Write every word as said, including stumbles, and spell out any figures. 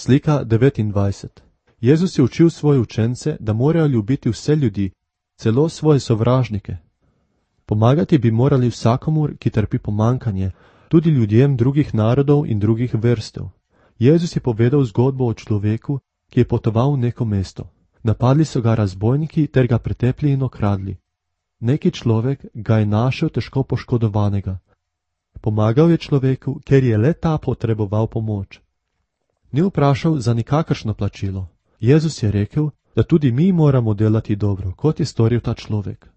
Slika devetindvajset. Jezus je učil svoje učence, da morajo ljubiti vse ljudi, celo svoje sovražnike. Pomagati bi morali vsakomur, ki trpi pomankanje, tudi ljudem drugih narodov in drugih vrstev. Jezus je povedal zgodbo o človeku, ki je potoval v neko mesto. Napadli so ga razbojniki ter ga pretepli in okradli. Neki človek ga je našel težko poškodovanega. Pomagal je človeku, ker je le ta potreboval pomoč. Ni vprašal za nikakršno plačilo. Jezus je rekel, da tudi mi moramo delati dobro, kot je storil ta človek.